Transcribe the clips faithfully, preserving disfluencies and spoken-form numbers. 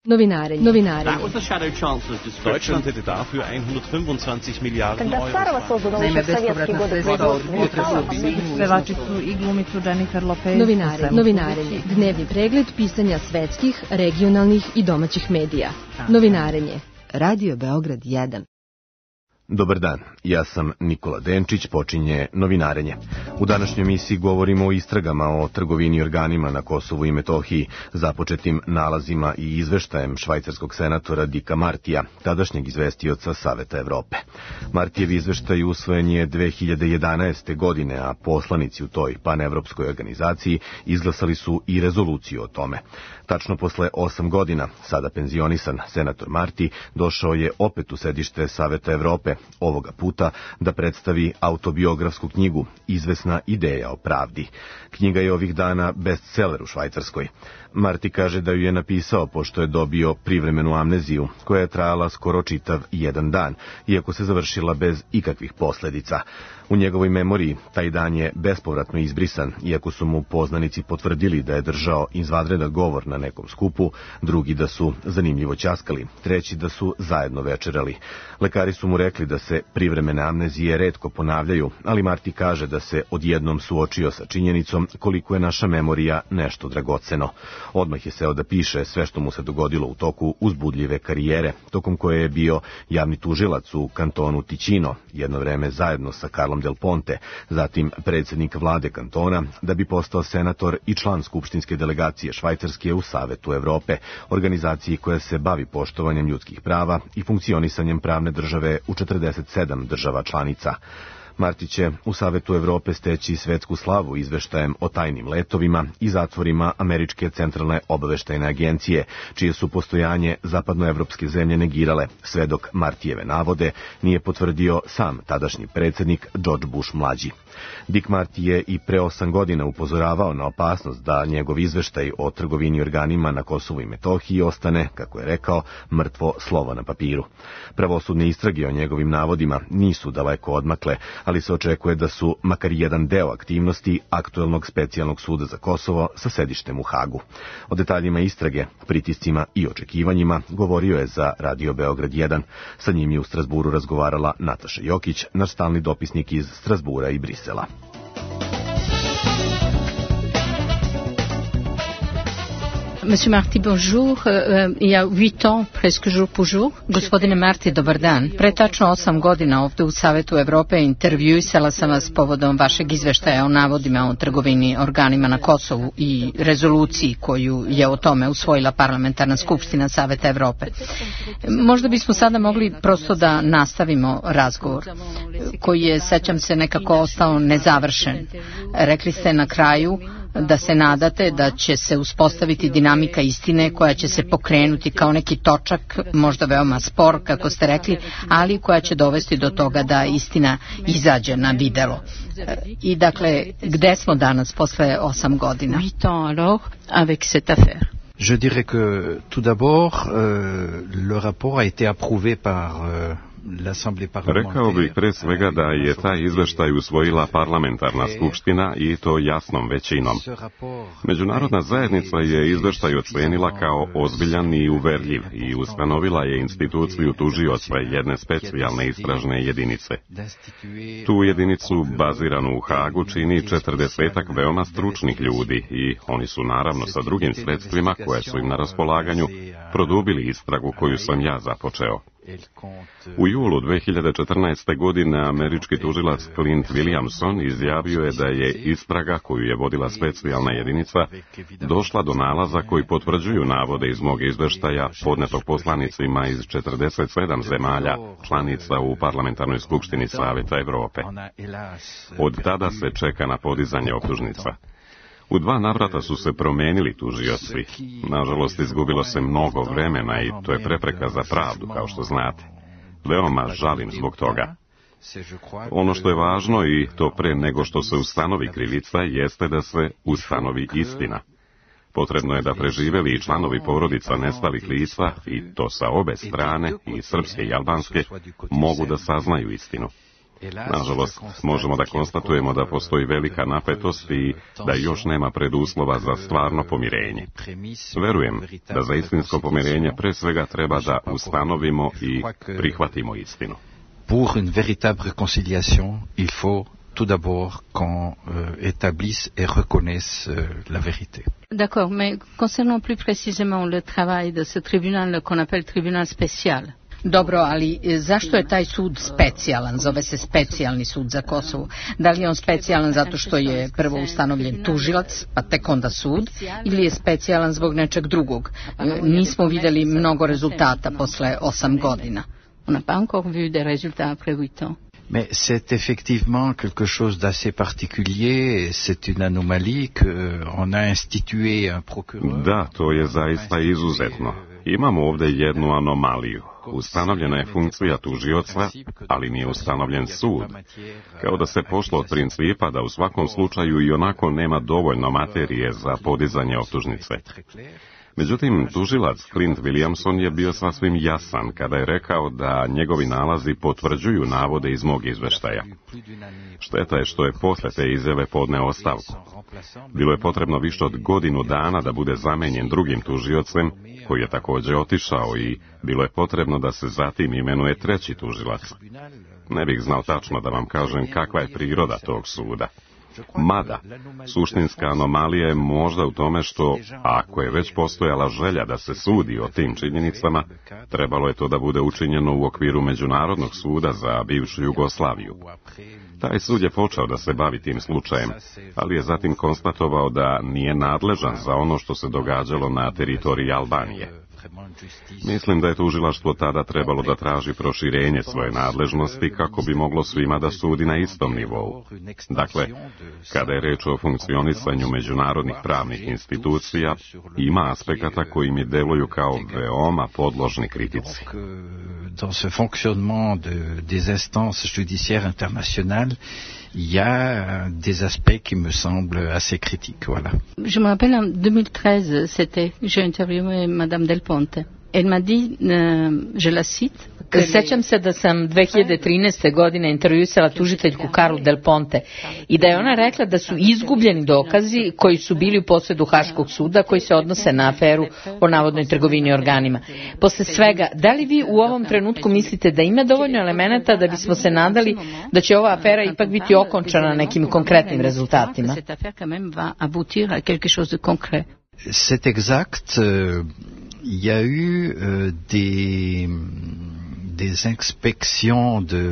Novinarenje. Novinarenje. Deutschland hätte dafür hundertfünfundzwanzig Miliarden Euro. Naime, bespovratna sredstva od pevačicu i glumicu Jennifer Lopez. Novinarenje. Novinarenje. Dnevni pregled pisanja svetskih, regionalnih i domaćih medija. Novinarenje. Radio Beograd jedan. Dobar dan, ja sam Nikola Denčić, počinje Novinarenje. U današnjoj emisiji govorimo o istragama o trgovini organima na Kosovu i Metohiji, započetim nalazima i izveštajem švajcarskog senatora Dicka Martija, tadašnjeg izvestioca Saveta Evrope. Martijev izveštaj usvojen je dve hiljade jedanaeste. godine, a poslanici u toj panevropskoj organizaciji izglasali su i rezoluciju o tome. Tačno posle osam godina, sada penzionisan senator Marti došao je opet u sedište Saveta Evrope, ovoga puta da predstavi autobiografsku knjigu Izvesna ideja o pravdi. Knjiga je ovih dana bestseller u Švajcarskoj. Marti kaže da ju je napisao pošto je dobio privremenu amneziju, koja je trajala skoro čitav jedan dan, iako se završila bez ikakvih posledica. U njegovoj memoriji taj dan je bespovratno izbrisan, iako su mu poznanici potvrdili da je držao izvanredan govor na nekom skupu, drugi da su zanimljivo ćaskali, treći da su zajedno večerali. Lekari su mu rekli da se privremene amnezije retko ponavljaju, ali Marti kaže da se odjednom suočio sa činjenicom koliko je naša memorija nešto dragoceno. Odmah je seo da piše sve što mu se dogodilo u toku uzbudljive karijere, tokom koje je bio javni tužilac u kantonu Ticino, jedno vreme zajedno sa Carlom Del Ponte, zatim predsjednik vlade kantona, da bi postao senator i član skupštinske delegacije Švajcarske u Savetu Evrope, organizaciji koja se bavi poštovanjem ljudskih prava i funkcionisanjem pravne države u četrdeset sedam država članica. Marti će u Savetu Evrope steći svetsku slavu izveštajem o tajnim letovima i zatvorima Američke centralne obaveštajne agencije, čije su postojanje zapadnoevropske zemlje negirale, sve dok Martijeve navode nije potvrdio sam tadašnji predsjednik George Bush mlađi. Dick Marty je i pre osam godina upozoravao na opasnost da njegov izveštaj o trgovini organima na Kosovu i Metohiji ostane, kako je rekao, mrtvo slovo na papiru. Pravosudne istrage o njegovim navodima nisu daleko odmakle, ali se očekuje da su makar jedan deo aktivnosti aktuelnog specijalnog suda za Kosovo sa sedištem u Hagu. O detaljima istrage, pritiscima i očekivanjima govorio je za Radio Beograd jedan. Sa njim je u Strazburu razgovarala Nataša Jokić, naš stalni dopisnik iz Strazbura i Brisela. Monsieur Marti, bonjour. Uh, il y a huit ans, presque jour pour jour. Gospodine Marti, dobar dan. Pre tačno osam godina ovde u Savetu Evrope intervjuisala sam vas povodom vašeg izveštaja o navodima o trgovini organima na Kosovu i rezoluciji koju je o tome usvojila Parlamentarna skupština Saveta Evrope. Možda bismo sada mogli prosto da nastavimo razgovor, koji je, sećam se, nekako ostao nezavršen. Rekli ste na kraju da se nadate da će se uspostaviti dinamika istine koja će se pokrenuti kao neki točak, možda veoma spor, kako ste rekli, ali koja će dovesti do toga da istina izađe na videlo. I dakle, gde smo danas posle osam godina? huit ans alors avec cette affaire. Je dirais que tout d'abord euh, le rapport a été approuvé par euh, Rekao bih pre svega da je taj izveštaj usvojila parlamentarna skupština i to jasnom većinom. Međunarodna zajednica je izveštaj ocenila kao ozbiljan i uverljiv i ustanovila je instituciju tužioca jedne specijalne istražne jedinice. Tu jedinicu baziranu u Hagu čini četrdesetak veoma stručnih ljudi i oni su naravno sa drugim sredstvima koje su im na raspolaganju produbili istragu koju sam ja započeo. U julu dve hiljade četrnaeste. godine američki tužilac Clint Williamson izjavio je da je istraga koju je vodila specijalna jedinica došla do nalaza koji potvrđuju navode iz mog izveštaja podnetog poslanicima iz četrdeset sedam zemalja članica u Parlamentarnoj skupštini Saveta Evrope. Od tada se čeka na podizanje optužnica. U dva navrata su se promenili tužioci. Nažalost, izgubilo se mnogo vremena i to je prepreka za pravdu, kao što znate. Veoma žalim zbog toga. Ono što je važno i to pre nego što se ustanovi krivica jeste da se ustanovi istina. Potrebno je da preživeli i članovi porodica nestalih lica, i to sa obe strane, i srpske i albanske, mogu da saznaju istinu. Nažalost, možemo da konstatujemo da postoji velika napetost i da još nema preduslova za stvarno pomirenje. Verujem da za istinsko pomirenje pre svega treba da ustanovimo i prihvatimo istinu. Pour une véritable réconciliation, il faut tout d'abord qu'on euh, établisse et reconnaisse euh, la vérité. D'accord, mais concernant plus précisément le travail de ce tribunal qu'on appelle tribunal spécial. Dobro, ali zašto je taj sud specijalan? Zove se specijalni sud za Kosovo. Da li je on specijalan zato što je prvo ustanovljen tužilac, pa tek onda sud, ili je specijalan zbog nečeg drugog? Nismo vidjeli mnogo rezultata posle osam godina. On n'a pas encore vu des résultats après huit ans. Mais c'est effectivement quelque chose d'assez particulier, c'est une anomalie qu'on a institué un procureur. Da, to je zaista izuzetno. Imamo ovdje jednu anomaliju. Ustanovljena je funkcija tužioca, ali nije ustanovljen sud. Kao da se pošlo od principa da u svakom slučaju i onako nema dovoljno materije za podizanje optužnice. Međutim, tužilac Clint Williamson je bio sasvim jasan kada je rekao da njegovi nalazi potvrđuju navode iz mog izveštaja. Šteta je što je posle te izjave podneo ostavku. Bilo je potrebno više od godinu dana da bude zamenjen drugim tužiocem, koji je također otišao, i bilo je potrebno da se zatim imenuje treći tužilac. Ne bih znao tačno da vam kažem kakva je priroda tog suda. Mada, suštinska anomalija je možda u tome što, ako je već postojala želja da se sudi o tim činjenicama, trebalo je to da bude učinjeno u okviru Međunarodnog suda za bivšu Jugoslaviju. Taj sud je počeo da se bavi tim slučajem, ali je zatim konstatovao da nije nadležan za ono što se događalo na teritoriji Albanije. Mislim da je tužilaštvo tada trebalo da traži proširenje svoje nadležnosti kako bi moglo svima da sudi na istom nivou. Dakle, kada je reč o funkcionisanju međunarodnih pravnih institucija, ima aspekata koji mi deluju kao veoma podložni kritici. Dans ce fonctionnement de, des instances judiciaires internationales, il y a des aspects qui me semblent assez critiques, voilà. Je me rappelle en deux mille treize, c'était, j'ai interviewé Madame Del Ponte. Elle m'a dit, euh, je la cite, Sećam se da sam dve hiljade trinaeste. godine intervjuisala tužiteljku Karlu Del Ponte i da je ona rekla da su izgubljeni dokazi koji su bili u posjedu Haškog suda koji se odnose na aferu o navodnoj trgovini organima. Posle svega, da li vi u ovom trenutku mislite da ima dovoljno elemenata da bismo se nadali da će ova afera ipak biti okončana nekim konkretnim rezultatima? C'est exact. Il y a eu euh, des... des inspections de,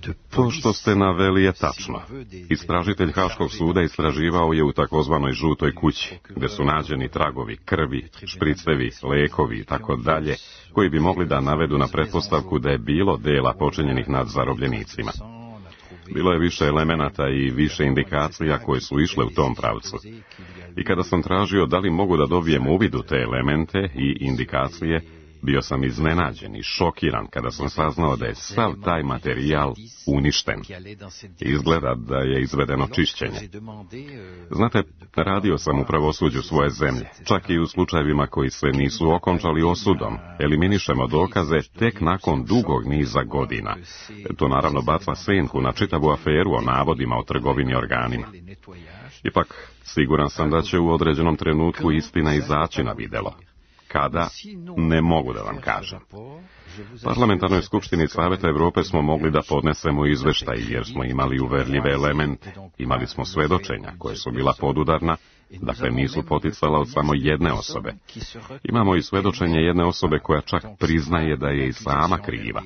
de To što ste naveli je tačno. Istražitelj Haškog suda istraživao je u takozvanoj žutoj kući, gde su nađeni tragovi krvi, špricevi, lekovi i tako dalje, koji bi mogli da navedu na pretpostavku da je bilo dela počinjenih nad zarobljenicima. Bilo je više elemenata i više indikacija koje su išle u tom pravcu. I kada sam tražio da li mogu da dobijem uvid u te elemente i indikacije, bio sam iznenađen i šokiran kada sam saznao da je sav taj materijal uništen. Izgleda da je izvedeno čišćenje. Znate, radio sam u pravosuđu svoje zemlje, čak i u slučajevima koji se nisu okončali osudom. Eliminišemo dokaze tek nakon dugog niza godina. To naravno baca senku na čitavu aferu o navodima o trgovini organima. Ipak, siguran sam da će u određenom trenutku istina izaći na videlo. Kada, ne mogu da vam kažem. Parlamentarnoj skupštini Saveta Evrope smo mogli da podnesemo izveštaj jer smo imali uverljive elemente. Imali smo svedočenja koje su bila podudarna, dakle nisu poticala od samo jedne osobe. Imamo i svedočenje jedne osobe koja čak priznaje da je i sama kriva.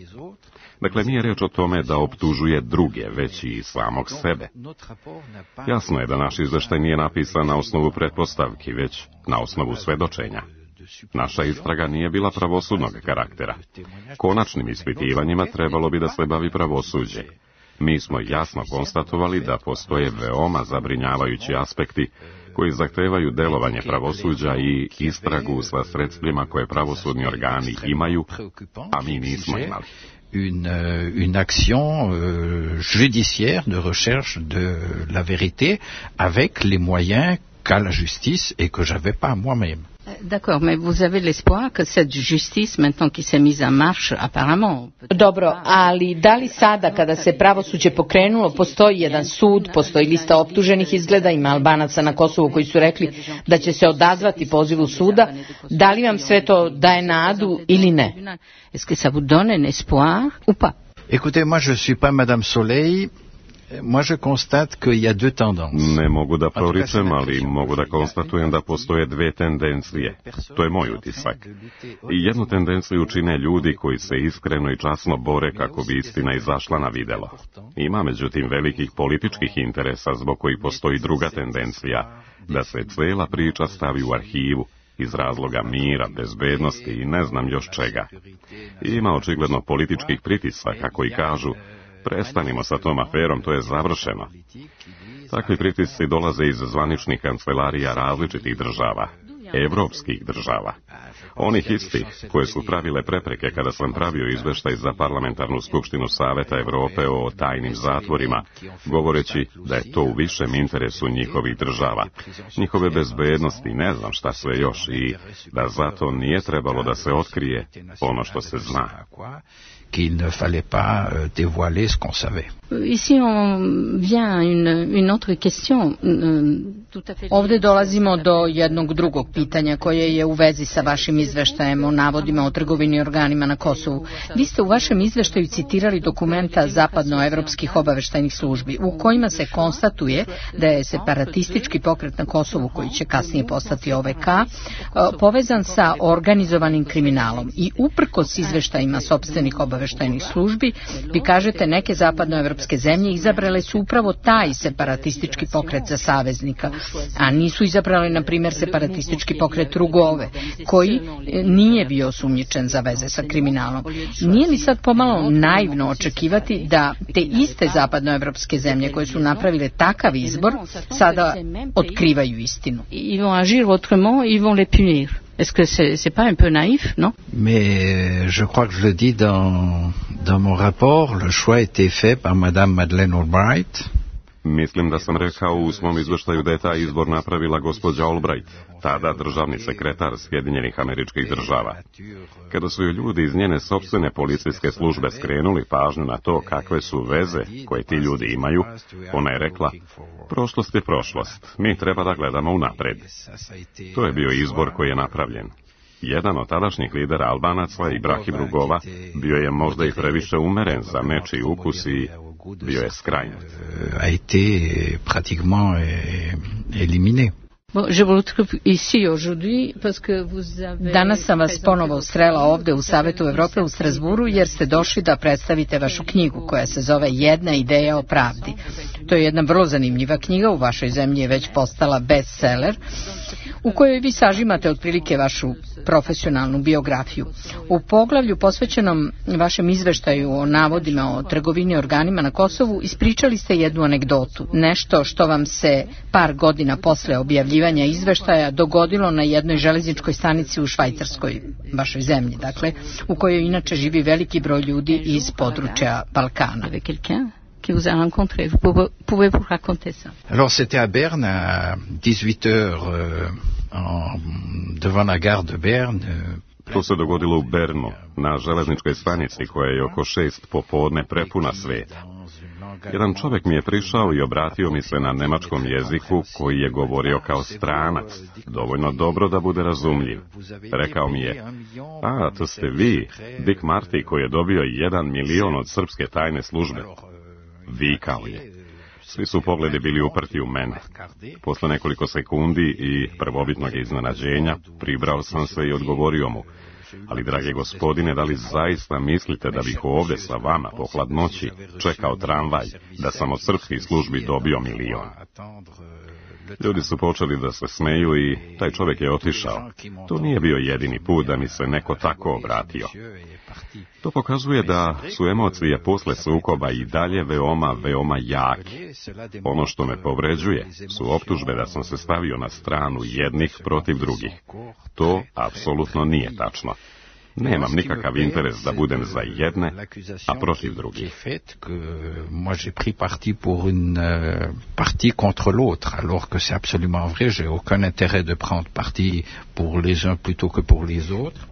Dakle, nije reč o tome da optužuje druge, već i samog sebe. Jasno je da naš izveštaj nije napisan na osnovu pretpostavki, već na osnovu svedočenja. Naša istraga nije bila pravosudnog karaktera. Konačnim ispitivanjima trebalo bi da se bavi pravosuđe. Mi smo jasno konstatovali da postoje veoma zabrinjavajući aspekti koji zahtevaju delovanje pravosuđa i istragu sa sredstvima koje pravosudni organi imaju, a mi nismo imali. Une, une action euh, judiciaire de recherche de la vérité avec les moyens qu'a la justice et que j'avais pas moi-même. D'accord, mais vous avez l'espoir que cette justice, maintenant qui s'est mise en marche, apparemment... Dobro, ali da li sada kada se pravosuđe pokrenulo, postoji jedan sud, postoji lista optuženih, izgleda, ima Albanaca na Kosovu koji su rekli da će se odazvati pozivu suda, da li vam sve to daje nadu ili ne? Est-ce que ça vous donne un espoir ou pas? Écoutez, moi je suis pas Madame Soleil. Moi je constate qu'il y a deux tendances. Ne mogu da proričem, ali mogu da konstatujem da postoje dve tendencije. To je moj utisak. I jednu tendenciju čine ljudi koji se iskreno i časno bore kako bi istina izašla na videlo. Ima međutim velikih političkih interesa zbog kojih postoji druga tendencija, da se cela priča stavi u arhivu, iz razloga mira, bezbednosti i ne znam još čega. Ima očigledno političkih pritisaka koji kažu: prestanimo sa tom aferom, to je završeno. Takvi pritisci dolaze iz zvaničnih kancelarija različitih država, evropskih država. Onih istih koje su pravile prepreke kada sam pravio izveštaj za parlamentarnu skupštinu Saveta Evrope o tajnim zatvorima, govoreći da je to u višem interesu njihovih država, njihove bezbednosti, ne znam šta sve još, i da zato nije trebalo da se otkrije ono što se zna. Qu'il ne fallait pas euh, dévoiler ce qu'on savait. Ici on vient à une, une autre question. Tout à fait... Ovde dolazimo do jednog drugog pitanja koje je u vezi sa vašim izveštajem o navodima o trgovini organima na Kosovu. Vi ste u vašem izveštaju citirali dokumenta zapadnoevropskih obaveštajnih službi u kojima se konstatuje da je separatistički pokret na Kosovu, koji će kasnije postati O V K, povezan sa organizovanim kriminalom i uprkos izveštajima sopstvenih obaveštajnih obaveštajnih službi, vi kažete neke zapadnoevropske zemlje izabrale su upravo taj separatistički pokret za saveznika, a nisu izabrali, na primjer, separatistički pokret Rugove, koji nije bio osumnjičen za veze sa kriminalom. Nije li sad pomalo naivno očekivati da te iste zapadnoevropske zemlje koje su napravile takav izbor sada otkrivaju istinu? Ils vont agir autrement, ils vont les punir. Est-ce que c'est, c'est pas un peu naïf, non? Mais je crois que je le dis dans, dans mon rapport, le choix a été fait par Madame Madeleine Albright. Mislim da sam rekao u svom izveštaju da je taj izbor napravila gospođa Albright, tada državni sekretar Sjedinjenih Američkih Država. Kada su joj ljudi iz njene sopstvene policijske službe skrenuli pažnju na to kakve su veze koje ti ljudi imaju, ona je rekla: prošlost je prošlost, mi treba da gledamo unapred. To je bio izbor koji je napravljen. Jedan od tadašnjih lidera Albanaca, Ibrahim Rugova, bio je možda i previše umeren za nečiji ukus i bio je skrajnut. A été pratiquement éliminé. Danas sam vas ponovo srela ovde u Savetu Evrope u Strasburu jer ste došli da predstavite vašu knjigu koja se zove Jedna ideja o pravdi. To je jedna vrlo zanimljiva knjiga, u vašoj zemlji je već postala bestseller, u kojoj vi sažimate otprilike vašu profesionalnu biografiju. U poglavlju posvećenom vašem izveštaju o navodima o trgovini organima na Kosovu ispričali ste jednu anegdotu, nešto što vam se par godina posle objavljivanja izveštaja dogodilo na jednoj železničkoj stanici u Švajcarskoj, vašoj zemlji, dakle, u kojoj inače živi veliki broj ljudi iz područja Balkana. Qui vous a rencontré. Vous pouvez, pouvez vous raconter ça? Alors c'était à Berne à dix-huit heures euh, en, devant la gare de Berne. Euh, To se dogodilo u Bernu, na železničkoj stanici koja je oko šest popodne prepuna sveta. Jedan čovjek mi je prišao i obratio mi se na nemačkom jeziku koji je govorio kao stranac, dovoljno dobro da bude razumljiv. Rekao mi je: a, to ste vi, Dick Marty, koji je dobio jedan milion od srpske tajne službe. Vikao je. Svi su pogledi bili uprti u mene. Posle nekoliko sekundi i prvobitnog iznenađenja pribrao sam se i odgovorio mu: ali, drage gospodine, da li zaista mislite da bih ovde sa vama po hladnoći čekao tramvaj da sam od srpskih službi dobio milion? Ljudi su počeli da se smeju i taj čovjek je otišao. To nije bio jedini put da mi se neko tako obratio. To pokazuje da su emocije posle sukoba i dalje veoma, veoma jake. Ono što me povređuje su optužbe da sam se stavio na stranu jednih protiv drugih. To apsolutno nije tačno. Nemam nikakav interes da budem za jedne, a protiv drugih. Moi j'ai pris parti pour une euh, partie contre l'autre, alors que c'est absolument vrai, j'ai aucun intérêt de prendre parti pour les uns plutôt que pour les autres.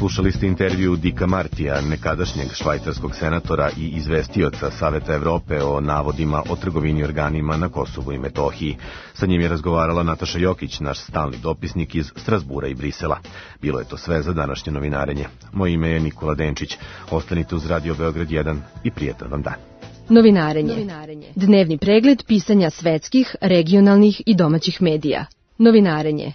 Slušali ste intervju Dicka Martija, nekadašnjeg švajcarskog senatora i izvestioca Saveta Evrope o navodima o trgovini organima na Kosovu i Metohiji. Sa njim je razgovarala Nataša Jokić, naš stalni dopisnik iz Strasbura i Brisela. Bilo je to sve za današnje novinarenje. Moje ime je Nikola Denčić. Ostanite uz Radio Beograd jedan i prijetan vam dan. Novinarenje. Novinarenje. Dnevni pregled pisanja svetskih, regionalnih i domaćih medija. Novinarenje.